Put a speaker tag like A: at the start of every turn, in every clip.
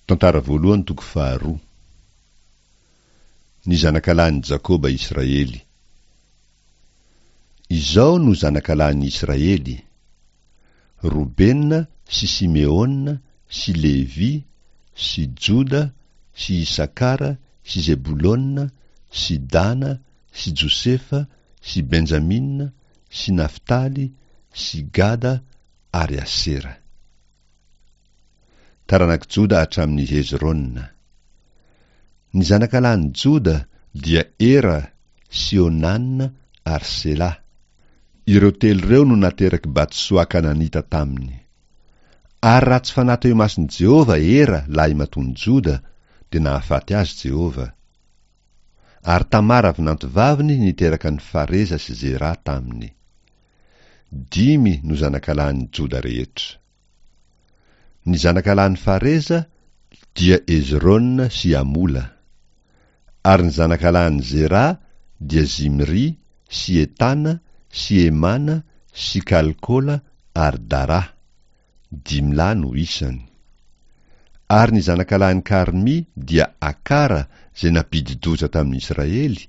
A: Tantara voalohany toko faharoa. Ny zanakalahin'i Jakoba Israely. Izao no zanakalahin'i Israely, Robena sy Simeona sy Levy sy Joda sy Isakara sy Zebolona sy Dana sy Josefa sy Benjamina sy Naftaly sy Gada ary Asera. Taranak'i Joda hatramin'i Hezrona. Ny zanakalahin'i Joda dia Era sy Onana ary Sela. Ireo telo ireo no naterak'i Batsoa Kananita taminy. Ary raha tsy fanahy teo imason'i Jehovah Era lahimatoan'i Joda, dia nahafaty azy Jehovah. Ary Tamara vinantovaviny niteraka an'i Fareza sy Zera taminy. Dimy no zanakalahin'i Joda rehetra. Ny zanakalahin'i Fareza dia Hezrona sy Hamola. Ary ny zanakalahin'i Zera dia Zimry sy Etana sy Hemana sy Kalkola ary Dara. Dimy lahy no isany. Ary ny zanakalahin'i Karmy dia Akara izay nampidi-doza tamin'ny Israely,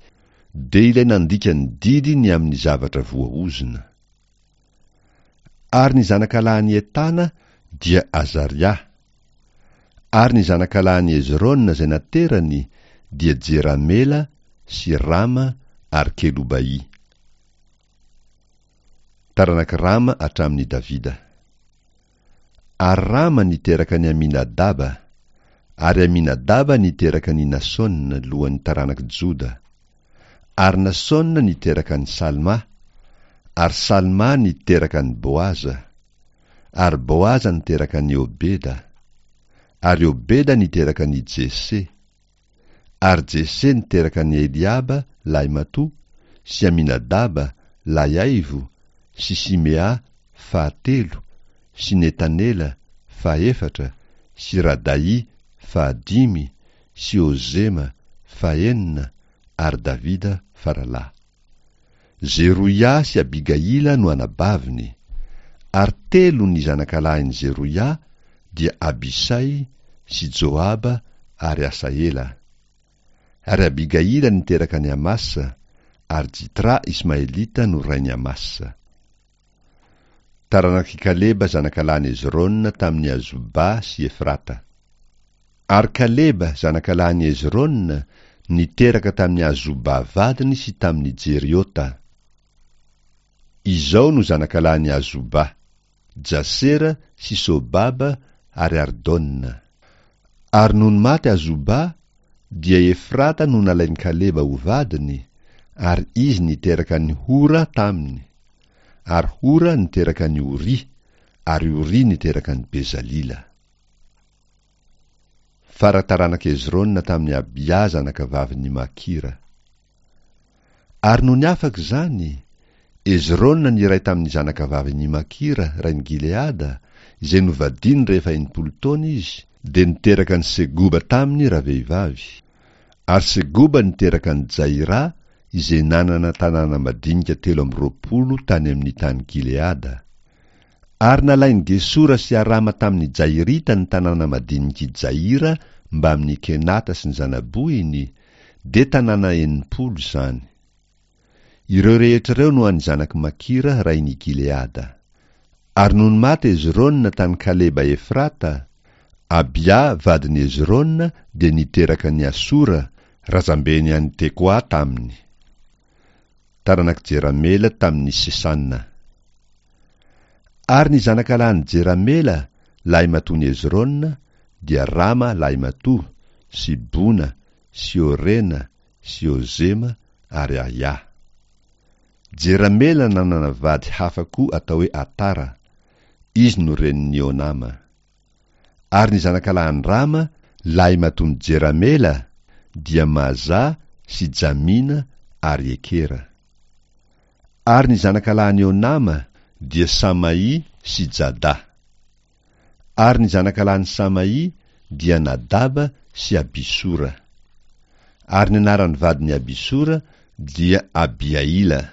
A: dia ilay nandika ny didy ny amin'ny zavatra voaozona. Ary ny zanakalahin'i Etana dia Azaria. Ary ny zanakalahin'i Hezrona izay naterany dia Jeramela sy Rama ary Kelobaia. Taranak'i Rama hatramin'i Davida. Ary Rama niteraka an'i Aminadaba, ary Aminadaba niteraka an'i Nasona lohan'ny taranak'i Joda, ary Nasona niteraka an'i Salma, ary Salma niteraka an'i Boaza, ary Boaza niteraka an'i Obeda, ary Obeda niteraka an'i Jese, Ary Jese niteraka an'i Eliaba, lahimatoa, sy Aminadaba, lahiaivo, sy Simea, fahatelo, sy Netanela, fahefatra, sy Radaì, fahadimy, sy Ozema, fahenina, ary Davida, faralahy. Zeroia sy Abigaila no anabaviny, ary telo ny zanakalahin'i Zeroia, dia Abisay sy Joaba ary Asahela. Ary Abigaila niteraka an'i Amasa, ary Jitra Ismaelita no rain'i Amasa. Taranak'i Kaleba zanakalahin'i Hezrona tamin'i Azoba sy Efrata. Ary Kaleba zanakalahin'i Hezrona niteraka tamin'i Azoba vadiny sy tamin'i Jeriota. Izao no zanakalahin'i Azoba, Jasera sy Sobaba ary Ardona. Ary nony maty Azoba, dia Efrata no nalain'i Kaleba ho vadiny, ary izy niteraka an'i Hora taminy, ary Hora niteraka an'i Ory, ary Ory niteraka an'i Bezalila. Fara taranak'i Hezrona tamin'i Abia zanakavavin'i Makira. Ary nony afaka izany, Hezrona niray tamin'ny zanakavavin'i Makira, rain'i Gileada, izay novadiany rehefa 60 taona izy, dia niteraka an'i Segoba taminy ravehivavy. Ary Segoba niteraka an'i Jaira, izay nanana tanàna madinika 23 tany amin'ny tany Gileada. Ary nalain'i Gesora sy Arama tamin'i Jairita ny tanàna madinik'i Jaira mbamin'i Kenata sy ny zana-bohiny, dia tanàna 60 izany. Ireo rehetra ireo no an'ny zanak'i Makira rain'i Gileada. Ary nony maty Hezrona tany Kaleba Efrata, Abia vadin'i Hezrona dia niteraka an'i Asora, razambeny any Tekoa taminy. Taranak'i Jeramela tamin'i Sesana. Ary ny zanakalahin'i Jeramela, lahimatoan'i Hezrona, dia Rama lahimatoa, sy Bona, sy Orena, sy Ozema, ary Ahia. Jeramela nanana vady hafa koa atao hoe Atara, izy no renin'i Onama. Ary ny zanakalahin'i Rama, lahimatoan'i Jeramela, dia Maza sy Jamina ary Ekera. Ary ny zanakalahin'i Onama dia Samay sy Jada. Ary ny zanakalahin'i Samay dia Nadaba sy Abisora. Ary ny anaran'ny vadin'i Abisora dia Abihaila.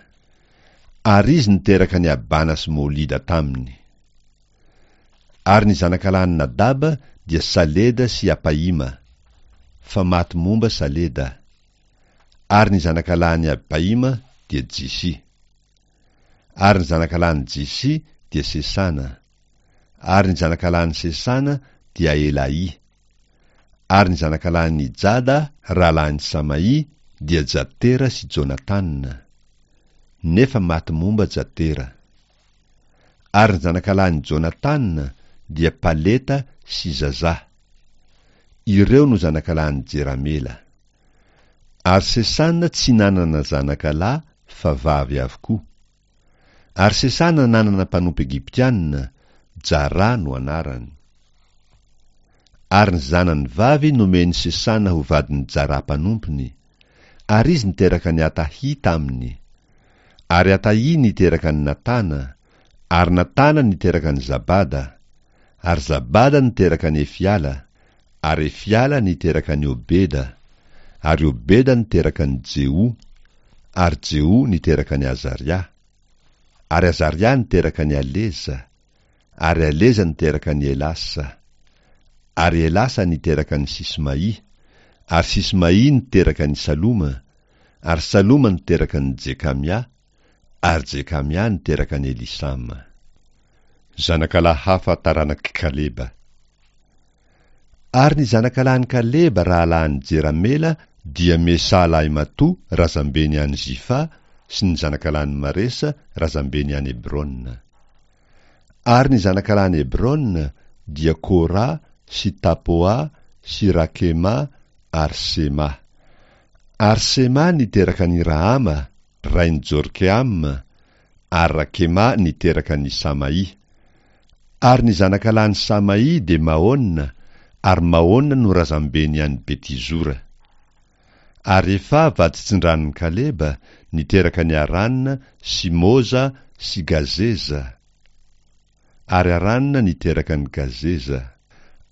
A: Ary izy niteraka an'i Abana sy Molida taminy. Ary ny zanakalahin'i Nadaba dia Saleda sy Apaima, fa maty momba Saleda. Ary ny zanakalahin'i Apaima dia Jisy. Ary ny zanakalahin'i Jisy dia Sesana. Ary ny zanakalahin'i Sesana dia Elaì. Ary ny zanakalahin'i Jada, rahalahin'i Samaì, dia Jatera sy Jonatana. Nefa maty momba Jatera. Ary ny zanakalahin'i Jonatana dia Paleta sy Zazà. Ireo no zanakalahin'i Jeramela. Ary Sesana tsy nanana zanakalahy fa vavy avokoa. Ary Sesana nanana mpanompo Egyptiana, Jarà no anarany. Ary ny zanany vavy nomen'i Sesana ho vadin'i Jarà mpanompony, ary izy niteraka an'i Atahia taminy. Ary Atahia niteraka an'i Natana, ary Natana niteraka an'i Zabada, ary Zabada niteraka an'i Efiala, ary Efiala niteraka an'i Obeda, ary Obeda niteraka an'i Jeho, ary Jeho niteraka an'i Azaria, ary Azaria niteraka an'i Aleza, ary Aleza niteraka an'i Elasa, ary Elasa niteraka an'i Sismaì, ary Sismaì niteraka an'i Saloma, ary Saloma niteraka an'i Jekamia, ary Jekamia niteraka an'i Elisama. Zanakalahy hafa taranak'i Kaleba. Ary ny zanakalahin'i Kaleba rahalahin'i Jeramela dia Mesà lahimatoa razambeny any Zifa sy ny zanakalahin'i Maresa razambeny any Hebrona. Ary ny zanakalahin'i Hebrona dia Kora sy Tapoa sy Rakema ary Sema. Ary Sema niteraka an'i Rahama, rain'i Jorkeama, ary Rakema niteraka an'i Samaì. Ary ny zanakalahin'i Samaì dia Maona, ary Maona no razambeny any Betizora. Ary Efa vaditsindranon'i Kaleba niteraka an'i Harana sy Moza sy Gazeza. Ary Harana niteraka an'i Gazeza.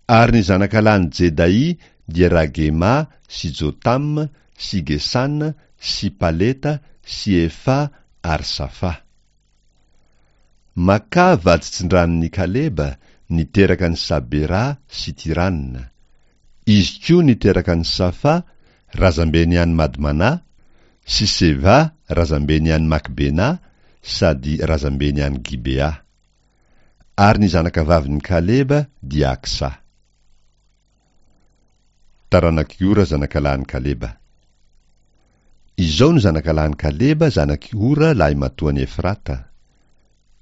A: Ary ny zanakalahin'i Jedaì dia Ragema sy Jotama sy Gesana sy Paleta sy Efa ary Safa. Makà vaditsindranon'i Kaleba niteraka an'i Sabera sy Tirana. Izy koa niteraka an'i Safa, razambeny any Madmanà, sy Seva, razambeny any Makbenà, sady razambeny any Gibea. Ary ny zanakavavin'i Kaleba dia Aksà. Taranak'i Ora zanakalahin'i Kaleba. Izao no zanakalahin'i Kaleba zanak'i Ora lahimatoan'i Efrata,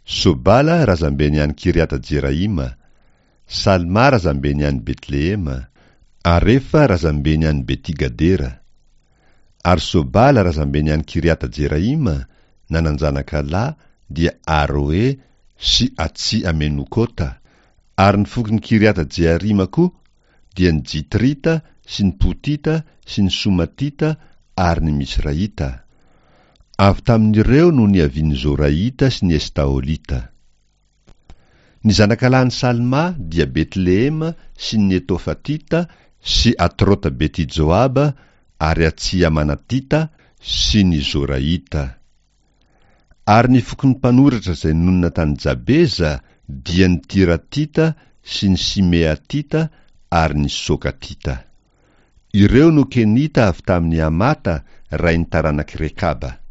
A: Sobala razambeny any Kiriata-Jeraima, Salma razambeny any Betlehema, Arefa razambeny any Beti-Gadera. Ary Sobala razambeny any Kiriata-Jeraima nanan-janaka lahy dia Aroe sy Atsi-Amenokota, ary ny fokon'i Kiriata-Jearima koa dia ny Jitrita sy ny Potita sy ny Somatita ary ny Misraita. Avy tamin'ireo no niavian'ny Zoraita sy ny Estaolita. Ny zanakalahin'i Salma dia Betlehema sy ny Netofatita sy Atrota-beti-joaba ary Atsiamanatita sy ny Zoraita. Ary ny fokon'ny mpanoratra izay nonina tany Jabeza dia ny Tiratita sy ny Simeatita ary ny Sokatita. Ireo no Kenita avy tamin'i Hamata rain'ny taranak'i Rekaba.